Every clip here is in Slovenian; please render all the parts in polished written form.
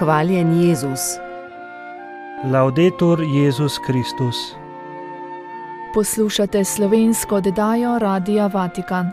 Hvaljen Jezus. Laudetur Jezus Kristus. Poslušate slovensko oddajo Radia Vatikan.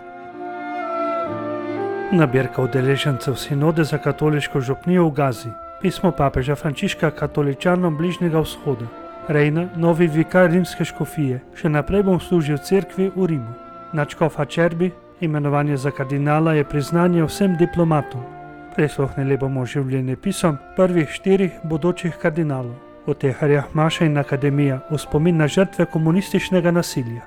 Nabirka udeležencev sinode za katoliško župnijo v Gazi. Pismo papeža Frančiška katoličanom Bližnjega vzhoda. Rejna, novi vikar rimske škofije. Še naprej bom služil cerkvi v Rimu. Nadškof Acerbi, imenovanje za kardinala je priznanje vsem diplomatom. Prisluhnili bomo življenjepisom prvih 4 bodočih kardinalov. V Teharjah maša in akademija v spomin na žrtve komunističnega nasilja.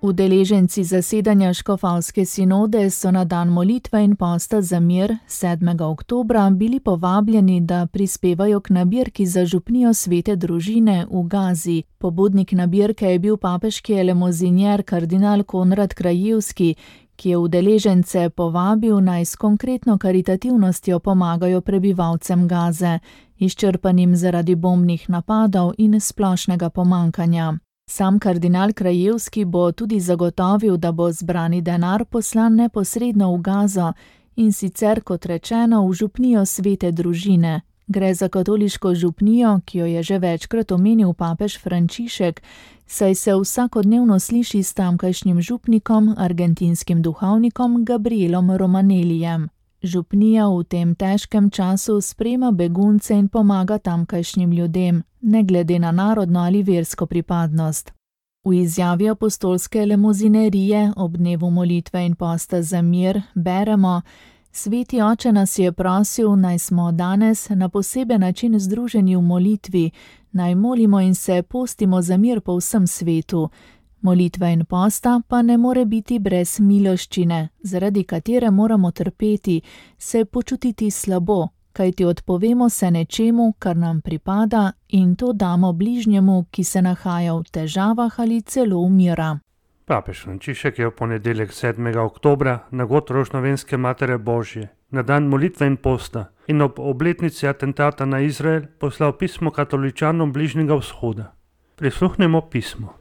Udeleženci zasedanja škofalske sinode so na dan molitve in posta za mir 7. oktobra bili povabljeni, da prispevajo k nabirki za župnijo Svete družine v Gazi. Pobudnik nabirke je bil papeški elemozinjer kardinal Konrad Krajewski, ki je udeležence povabil naj s konkretno karitativnostjo pomagajo prebivalcem Gaze, izčrpanim zaradi bombnih napadov in splošnega pomankanja. Sam kardinal Krajewski bo tudi zagotovil, da bo zbrani denar poslan neposredno v Gazo in sicer, kot rečeno, v župnijo Svete družine. Gre za katoliško župnijo, ki jo je že večkrat omenil papež Frančišek, saj se vsakodnevno sliši s tamkajšnjim župnikom, argentinskim duhovnikom Gabrielom Romanelijem. Župnija v tem težkem času sprejema begunce in pomaga tamkajšnjim ljudem, ne glede na narodno ali versko pripadnost. V izjavi apostolske lemozinerije ob dnevu molitve in posta za mir beremo: Sveti oče nas je prosil, naj smo danes na poseben način združeni v molitvi, naj molimo in se postimo za mir po vsem svetu. Molitva in posta pa ne more biti brez miloščine, zaradi katere moramo trpeti, se počutiti slabo, kajti odpovemo se nečemu, kar nam pripada, in to damo bližnjemu, ki se nahaja v težavah ali celo umira. Papež Frančišek je v ponedeljek 7. oktobra na god Rožnovenske Matere Božje, na dan molitve in posta in ob obletnici atentata na Izrael poslal pismo katoličanom Bližnjega vzhoda. Prisluhnemo pismo.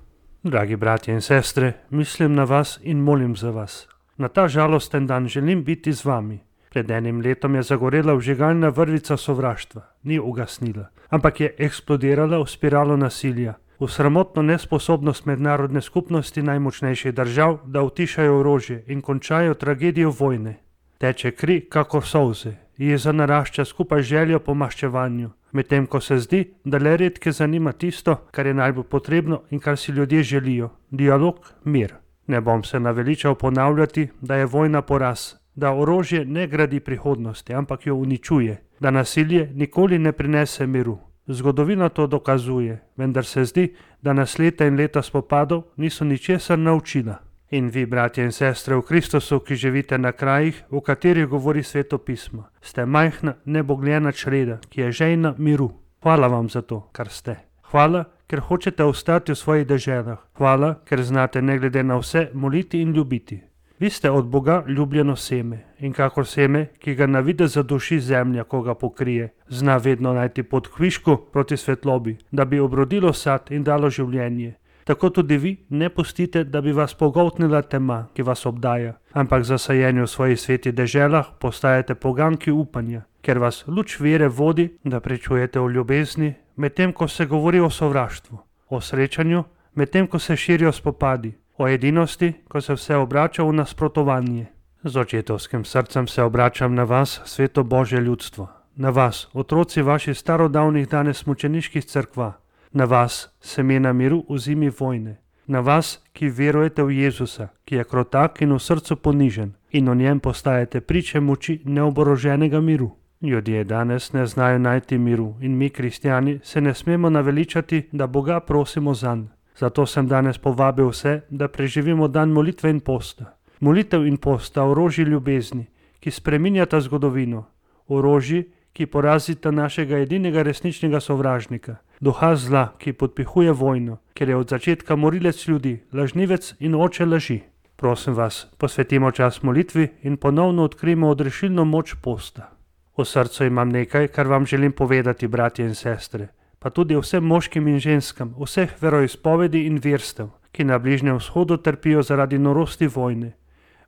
Dragi bratje in sestre, mislim na vas in molim za vas. Na ta žalosten dan želim biti z vami. Pred enim letom je zagorela vžigalna vrvica sovraštva, ni ugasnila, ampak je eksplodirala v spiralo nasilja, v sramotno nesposobnost mednarodne skupnosti najmočnejših držav, da utišajo orožje in končajo tragedijo vojne. Teče kri kakor solze, jeza narašča skupaj željo po maščevanju, medtem ko se zdi, da le redke zanima tisto, kar je najbolj potrebno in kar si ljudje želijo, dialog, mir. Ne bom se naveličal ponavljati, da je vojna poraz, da orožje ne gradi prihodnosti, ampak jo uničuje, da nasilje nikoli ne prinese miru. Zgodovina to dokazuje, vendar se zdi, da nas leta in leta spopadov niso ničesar naučila. In vi, bratje in sestre v Kristusu, ki živite na krajih, v katerih govori Sveto pismo, ste majhna, nebogljena čreda, ki je žejna miru. Hvala vam za to, kar ste. Hvala, ker hočete ostati v svojih deželah. Hvala, ker znate ne glede na vse moliti in ljubiti. Vi ste od Boga ljubljeno seme in kakor seme, ki ga na videz zaduši zemlja, ko ga pokrije, zna vedno najti pot kvišku proti svetlobi, da bi obrodilo sad in dalo življenje. Tako tudi vi ne pustite, da bi vas pogoltnila tema, ki vas obdaja, ampak za sajenje v svojih svetih deželah postajate poganki upanja, ker vas luč vere vodi, da pričujete o ljubezni, medtem ko se govori o sovraštvu, o srečanju, medtem ko se širijo spopadi, o edinosti, ko se vse obrača v nasprotovanje. Z očetovskim srcem se obračam na vas, sveto Božje ljudstvo, na vas, otroci vaših starodavnih danes mučeniških cerkva, na vas, semena miru v zimi vojne, na vas, ki verujete v Jezusa, ki je krotak in v srcu ponižen in o njem postajate priče moči neoboroženega miru. Ljudje danes ne znajo najti miru in mi, kristjani, se ne smemo naveličati, da Boga prosimo zanj. Zato sem danes povabil vse, da preživimo dan molitve in posta. Molitev in posta orožji ljubezni, ki spreminjata zgodovino, orožji, ki porazita našega edinega resničnega sovražnika, duha zla, ki podpihuje vojno, ker je od začetka morilec ljudi, lažnivec in oče laži. Prosim vas, posvetimo čas molitvi in ponovno odkrijmo odrešilno moč posta. V srcu imam nekaj, kar vam želim povedati, bratje in sestre, pa tudi vsem moškim in ženskam, vseh veroizpovedi in verstev, ki na Bližnjem vzhodu trpijo zaradi norosti vojne.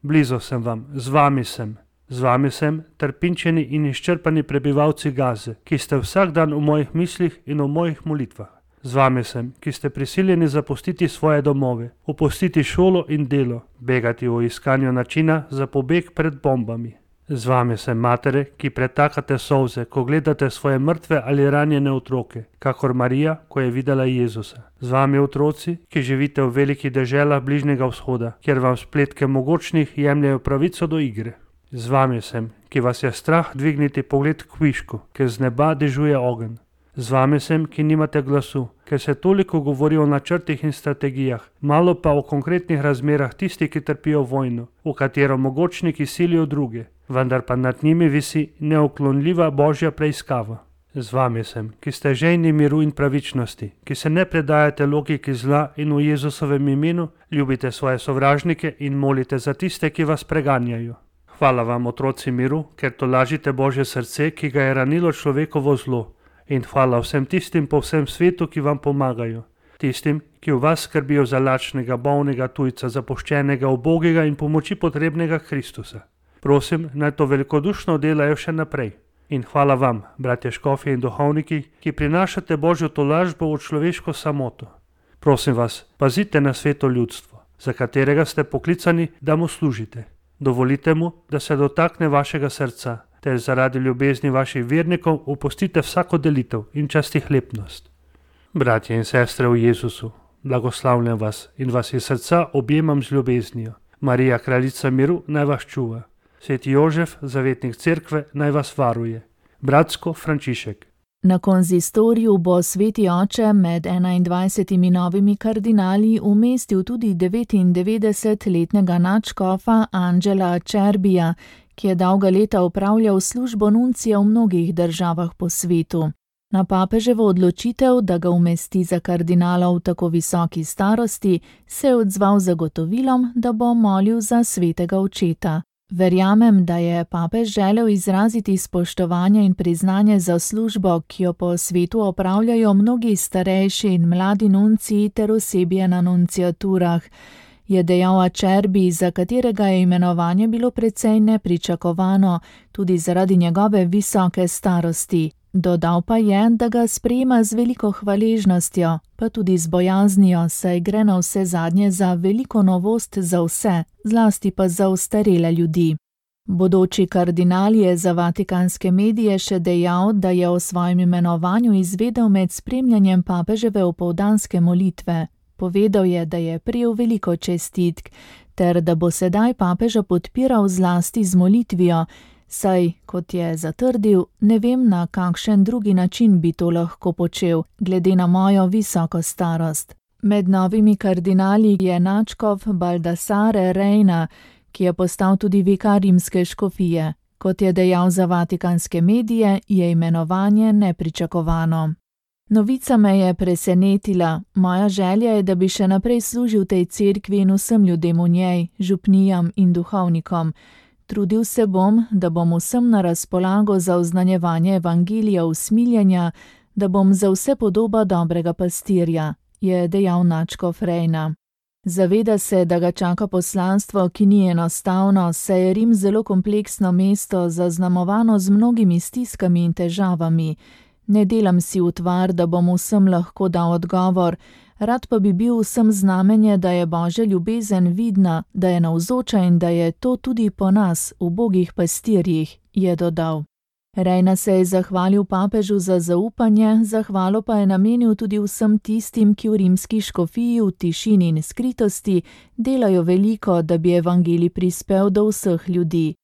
Blizu sem vam, z vami sem. Z vami sem, trpinčeni in izčrpani prebivalci Gaze, ki ste vsak dan v mojih mislih in v mojih molitvah. Z vami sem, ki ste prisiljeni zapustiti svoje domove, opustiti šolo in delo, begati v iskanju načina za pobeg pred bombami. Z vami sem, matere, ki pretakate solze, ko gledate svoje mrtve ali ranjene otroke, kakor Marija, ko je videla Jezusa. Z vami, otroci, ki živite v velikih deželah Bližnjega vzhoda, kjer vam spletke mogočnih jemljejo pravico do igre. Z vami sem, ki vas je strah dvigniti pogled k višku, ker z neba dežuje ogenj. Z vami sem, ki nimate glasu, ker se toliko govori o načrtih in strategijah, malo pa o konkretnih razmerah tisti, ki trpijo vojno, v katero mogočniki silijo druge, vendar pa nad njimi visi neuklonljiva božja preiskava. Z vami sem, ki ste žejni miru in pravičnosti, ki se ne predajate logiki zla in v Jezusovem imenu ljubite svoje sovražnike in molite za tiste, ki vas preganjajo. Hvala vam, otroci miru, ker tolažite Božje srce, ki ga je ranilo človekovo zlo. In hvala vsem tistim po vsem svetu, ki vam pomagajo. Tistim, ki v vas skrbijo za lačnega, bolnega tujca, zapuščenega, ubogega in pomoči potrebnega Kristusa. Prosim, naj to velikodušno delajo še naprej. In hvala vam, bratje škofje in duhovniki, ki prinašate Božjo tolažbo v človeško samoto. Prosim vas, pazite na sveto ljudstvo, za katerega ste poklicani, da mu služite. Dovolite mu, da se dotakne vašega srca, ter zaradi ljubezni vaših vernikov opustite vsako delitev in častihlepnost. Bratje in sestre v Jezusu, blagoslavljam vas in vas iz srca objemam z ljubeznijo. Marija, kraljica miru, naj vas čuva. Sveti Jožef, zavetnik cerkve, naj vas varuje. Bratsko Frančišek. Na konzistoriju bo sveti oče med 21 novimi kardinali umestil tudi 99-letnega nadškofa Angela Acerbija, ki je dolga leta opravljal službo nuncija v mnogih državah po svetu. Na papeževo odločitev, da ga umesti za kardinala v tako visoki starosti, se je odzval z zagotovilom, da bo molil za svetega očeta. Verjamem, da je papež želel izraziti spoštovanje in priznanje za službo, ki jo po svetu opravljajo mnogi starejši in mladi nunciji ter osebje na nunciaturah, je dejal Acerbi, za katerega je imenovanje bilo precej nepričakovano, tudi zaradi njegove visoke starosti. Dodal pa je, da ga sprejema z veliko hvaležnostjo, pa tudi z bojaznijo, saj gre na vse zadnje za veliko novost za vse, zlasti pa za ostarele ljudi. Bodoči kardinal je za vatikanske medije še dejal, da je o svojem imenovanju izvedel med spremljanjem papeževe opoldanske molitve. Povedal je, da je prejel veliko čestitk, ter da bo sedaj papeža podpiral zlasti z molitvijo, saj, kot je zatrdil, ne vem, na kakšen drugi način bi to lahko počel, glede na mojo visoko starost. Med novimi kardinali je nadškof Baldassare Reina, ki je postal tudi vikar rimske škofije. Kot je dejal za vatikanske medije, je imenovanje nepričakovano. Novica me je presenetila. Moja želja je, da bi še naprej služil tej cerkvi in vsem ljudem v njej, župnijam in duhovnikom. Trudil se bom, da bom vsem na razpolago za oznanjevanje evangelija usmiljenja, da bom za vse podoba dobrega pastirja, je dejal nadškof Reina. Zaveda se, da ga čaka poslanstvo, ki ni enostavno, saj je Rim zelo kompleksno mesto, zaznamovano z mnogimi stiskami in težavami. Ne delam si utvar, da bom vsem lahko dal odgovor, rad pa bi bil vsem znamenje, da je Božja ljubezen vidna, da je navzoča in da je to tudi po nas, ubogih pastirjih, je dodal. Reina se je zahvalil papežu za zaupanje, zahvalo pa je namenil tudi vsem tistim, ki v rimski škofiji v tišini in skritosti delajo veliko, da bi evangelij prispel do vseh ljudi.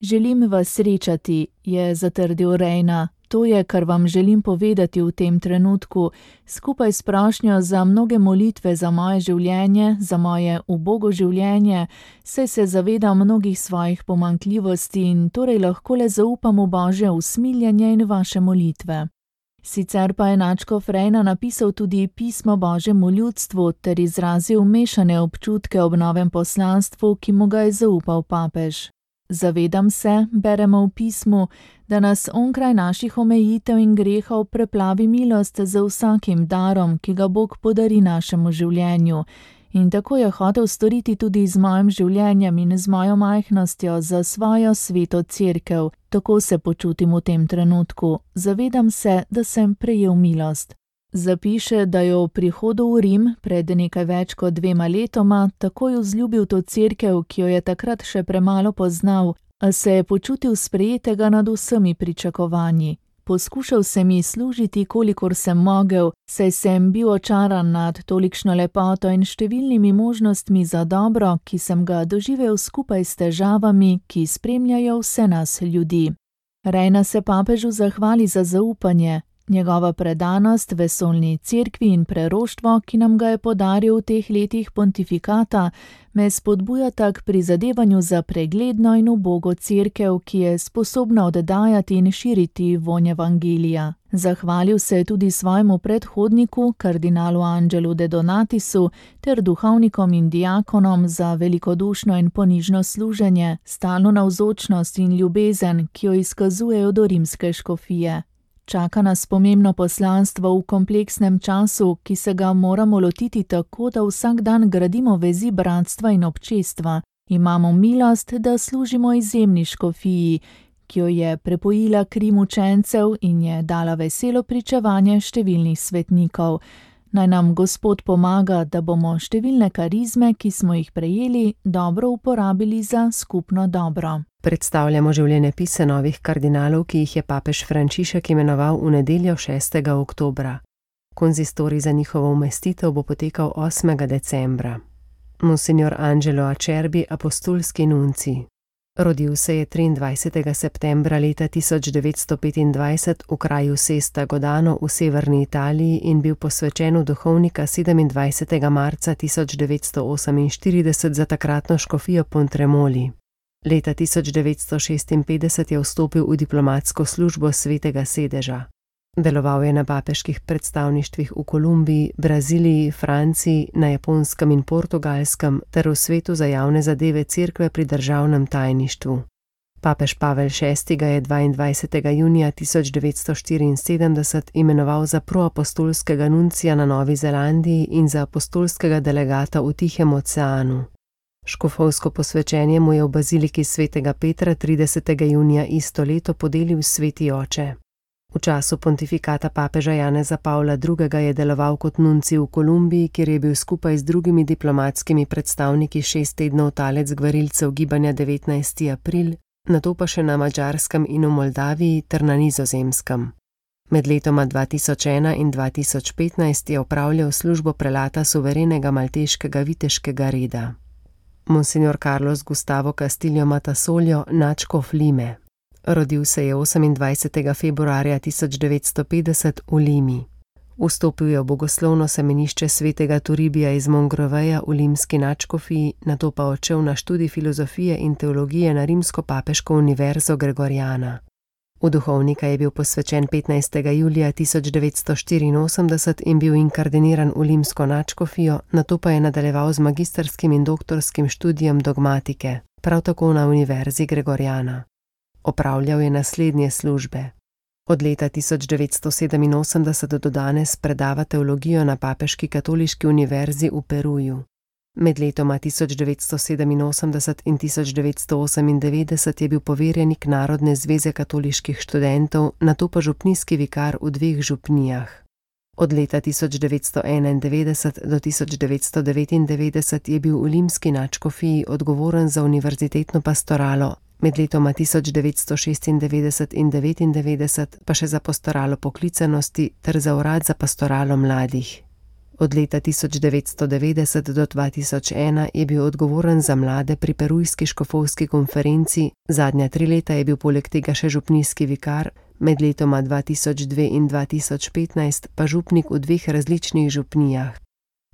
Želim vas srečati, je zatrdil Reina. To je, kar vam želim povedati v tem trenutku, skupaj s prošnjo za mnoge molitve za moje življenje, za moje ubogo življenje, saj se zavedam mnogih svojih pomanjkljivosti in torej lahko le zaupam v Božje usmiljenje in vaše molitve. Sicer pa je nadškof Reina napisal tudi pismo Božjemu ljudstvu ter izrazil mešane občutke ob novem poslanstvu, ki mu ga je zaupal papež. Zavedam se, beremo v pismu, da nas onkraj naših omejitev in grehov preplavi milost za vsakim darom, ki ga Bog podari našemu življenju, In tako je hotel storiti tudi z mojim življenjem in z mojo majhnostjo za svojo sveto cerkev. Tako se počutim v tem trenutku. Zavedam se, da sem prejel milost. Zapiše, da je v prihodu v Rim pred nekaj več kot 2 letoma takoj vzljubil to cerkev, ki jo je takrat še premalo poznal, a se je počutil sprejetega nad vsemi pričakovanji. Poskušal sem ji služiti, kolikor sem mogel, saj sem bil očaran nad tolikšno lepoto in številnimi možnostmi za dobro, ki sem ga doživel skupaj s težavami, ki spremljajo vse nas ljudi. Rejna se papežu zahvali za zaupanje. Njegova predanost vesoljni cerkvi in preroštvo, ki nam ga je podaril v teh letih pontifikata, me spodbujata k prizadevanju za pregledno in ubogo cerkev, ki je sposobna oddajati in širiti vonj evangelija. Zahvalil se je tudi svojemu predhodniku, kardinalu Angelu de Donatisu, ter duhovnikom in diakonom za velikodušno in ponižno služenje, stalno navzočnost in ljubezen, ki jo izkazujejo do rimske škofije. Čaka nas pomembno poslanstvo v kompleksnem času, ki se ga moramo lotiti tako, da vsak dan gradimo vezi bratstva in občestva. Imamo milost, da služimo izjemni škofiji, ki jo je prepojila kri mučencev in je dala veselo pričevanje številnih svetnikov. Naj nam Gospod pomaga, da bomo številne karizme, ki smo jih prejeli, dobro uporabili za skupno dobro. Predstavljamo življenjepise novih kardinalov, ki jih je papež Frančišek imenoval v nedeljo 6. oktobra. Konzistorij za njihovo umestitev bo potekal 8. decembra. Monsignor Angelo Acerbi, apostolski nuncij. Rodil se je 23. septembra leta 1925 v kraju Sesta Godano v severni Italiji in bil posvečen v duhovnika 27. marca 1948 za takratno škofijo Pontremoli. Leta 1956 je vstopil v diplomatsko službo Svetega sedeža. Deloval je na papeških predstavništvih v Kolumbiji, Braziliji, Franciji, na Japonskem in Portugalskem ter v svetu za javne zadeve cerkve pri državnem tajništvu. Papež Pavel VI. Ga je 22. junija 1974 imenoval za proapostolskega nuncija na Novi Zelandiji in za apostolskega delegata v Tihem oceanu. Škofovsko posvečenje mu je v baziliki svetega Petra 30. junija isto leto podelil sveti oče. V času pontifikata papeža Janeza Pavla II. Je deloval kot nuncij v Kolumbiji, kjer je bil skupaj z drugimi diplomatskimi predstavniki 6 tednov talec gvarilcev gibanja 19. april, nato pa še na Madžarskem in v Moldaviji ter na Nizozemskem. Med letoma 2001 in 2015 je opravljal službo prelata suverenega malteškega viteškega reda. Monsignor Carlos Gustavo Castillo Matasoljo, nadškof Lime. Rodil se je 28. februarja 1950 v Limi. Vstopil je v bogoslovno semenišče svetega Toribija iz Mongroveja v limski nadškofiji, nato pa odšel na študij filozofije in teologije na Rimsko-papeško univerzo Gregoriana. V duhovnika je bil posvečen 15. julija 1984 in bil inkardiniran v limsko nadškofijo, nato pa je nadaljeval z magisterskim in doktorskim študijem dogmatike, prav tako na univerzi Gregoriana. Opravljal je naslednje službe. Od leta 1987 do danes predava teologijo na Papeški katoliški univerzi v Peruju. Med letoma 1987 in 1998 je bil poverjenik Narodne zveze katoliških študentov, nato pa župnijski vikar v 2 župnijah. Od leta 1991 do 1999 je bil v limski nadškofiji odgovoren za univerzitetno pastoralo, med letoma 1996 in 1999 pa še za pastoralo poklicanosti ter za urad za pastoralo mladih. Od leta 1990 do 2001 je bil odgovoren za mlade pri Perujski škofovski konferenci, zadnja 3 leta je bil poleg tega še župnijski vikar, med letoma 2002 in 2015 pa župnik v 2 različnih župnijah.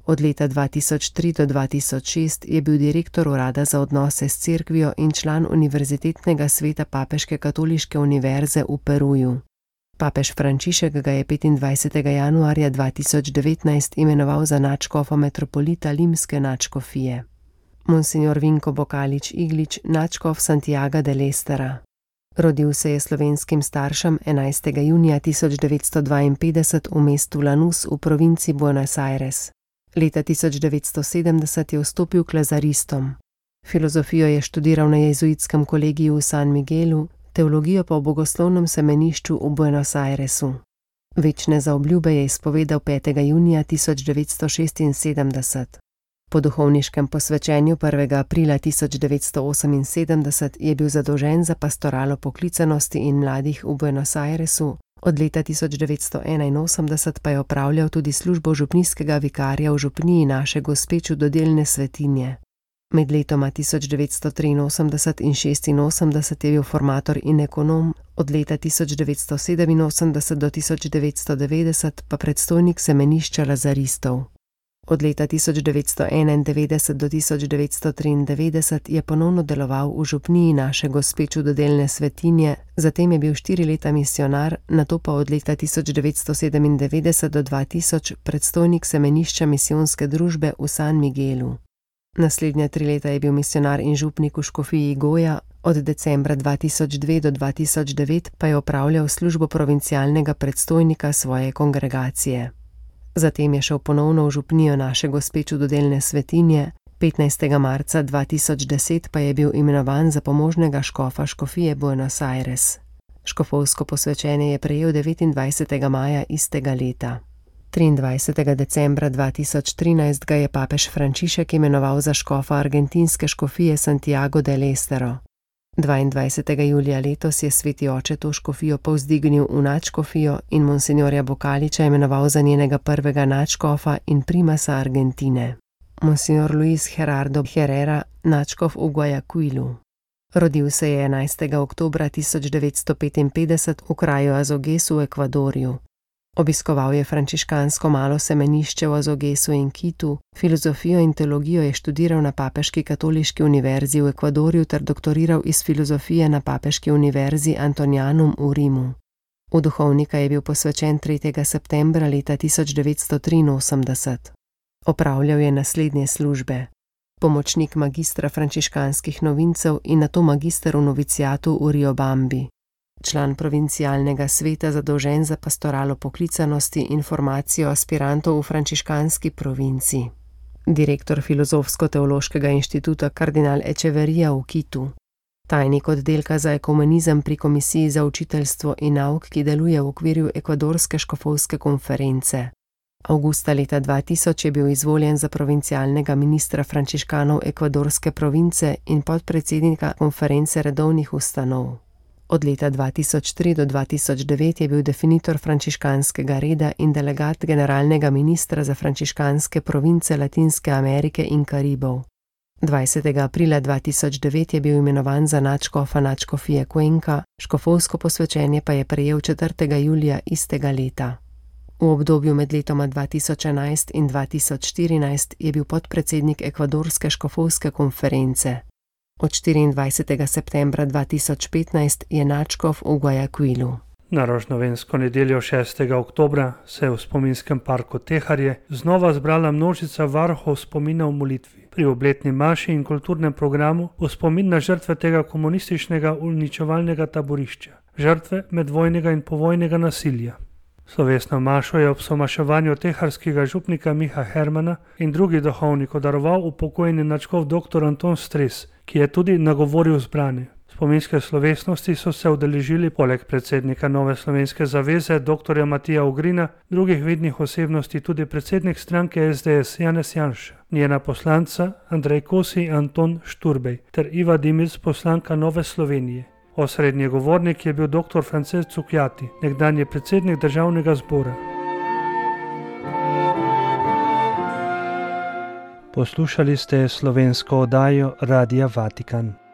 Od leta 2003 do 2006 je bil direktor urada za odnose s cerkvijo in član Univerzitetnega sveta Papeške katoliške univerze v Peruju. Papež Frančišek ga je 25. januarja 2019 imenoval za nadškofa metropolita limske nadškofije. Monsignor Vinko Bokalič Iglič, nadškof Santiaga del Estera. Rodil se je slovenskim staršem 11. junija 1952 v mestu Lanús v provinci Buenos Aires. Leta 1970 je vstopil k lazaristom. Filozofijo je študiral na jezuitskem kolegiju v San Miguelu, teologijo pa v bogoslovnem semenišču v Buenos Airesu. Večne zaobljube je izpovedal 5. junija 1976. Po duhovniškem posvečenju 1. aprila 1978 je bil zadolžen za pastoralo poklicanosti in mladih v Buenos Airesu, od leta 1981 pa je opravljal tudi službo župnijskega vikarja v župniji Naše Gospe Čudodelne Svetinje. Med letoma 1983 in 1986 je bil formator in ekonom, od leta 1987 do 1990 pa predstojnik semenišča lazaristov. Od leta 1991 do 1993 je ponovno deloval v župniji Naše Gospe Čudodelne Svetinje, zatem je bil 4 leta misijonar, nato pa od leta 1997 do 2000 predstojnik semenišča misijonske družbe v San Miguelu. Naslednja 3 leta je bil misijonar in župnik v škofiji Goja, od decembra 2002 do 2009 pa je opravljal službo provincialnega predstojnika svoje kongregacije. Zatem je šel ponovno v župnijo Naše Gospe Čudodelne Svetinje, 15. marca 2010 pa je bil imenovan za pomožnega škofa škofije Buenos Aires. Škofovsko posvečenje je prejel 29. maja istega leta. 23. decembra 2013 ga je papež Frančišek imenoval za škofa argentinske škofije Santiago del Estero. 22. julija letos je sveti oče to škofijo povzdignil v nadškofijo in monsinjorja Bokaliča imenoval za njenega prvega nadškofa in primasa Argentine. Monsinjor Luis Gerardo Herrera, nadškof v Guayaquilu. Rodil se je 11. oktobra 1955 v kraju Azoguesu v Ekvadorju. Obiskoval je frančiškansko malo semenišče v Azoguesu in Kitu, filozofijo in teologijo je študiral na Papeški katoliški univerzi v Ekvadorju ter doktoriral iz filozofije na Papeški univerzi Antonianum v Rimu. V duhovnika je bil posvečen 3. septembra leta 1983. Opravljal je naslednje službe: pomočnik magistra frančiškanskih novincev in nato magister v novicijatu v Riobambi. Član provincialnega sveta zadolžen za pastoralo poklicanosti in formacijo aspirantov v frančiškanski provinci. Direktor Filozofsko-teološkega inštituta kardinal Echeverija v Kitu. Tajnik oddelka za ekumenizem pri Komisiji za učiteljstvo in nauk, ki deluje v okviru Ekvadorske škofovske konference. Avgusta leta 2000 je bil izvoljen za provincialnega ministra frančiškanov Ekvadorske province in podpredsednika konference redovnih ustanov. Od leta 2003 do 2009 je bil definitor frančiškanskega reda in delegat generalnega ministra za frančiškanske province Latinske Amerike in Karibov. 20. aprila 2009 je bil imenovan za nadškofa nadškofije Cuenca, škofovsko posvečenje pa je prejel 4. julija istega leta. V obdobju med letoma 2011 in 2014 je bil podpredsednik Ekvadorske škofovske konference. Od 24. septembra 2015 je nadškof v Guayaquilu. Na rožnovensko nedeljo 6. oktobra se je v spominskem parku Teharje znova zbrala množica varuhov spomina v molitvi. Pri obletni maši in kulturnem programu v spomin na žrtve tega komunističnega uničevalnega taborišča, žrtve medvojnega in povojnega nasilja. Slovesno mašo je ob somaševanju teharskega župnika Miha Hermana in drugih duhovnikov daroval upokojeni nadškof dr. Anton Stres, ki je tudi nagovoril zbrane. Spominske slovesnosti so se udeležili poleg predsednika Nove slovenske zaveze dr. Matija Ugrina, drugih vidnih osebnosti tudi predsednik stranke SDS Janez Janša, njena poslanca Andrej Kosi in Anton Šturbej ter Iva Dimic, poslanka Nove Slovenije. Osrednji govornik je bil dr. Francesc Cukjati, nekdanji predsednik državnega zbora. Poslušali ste slovensko oddajo Radia Vatikan.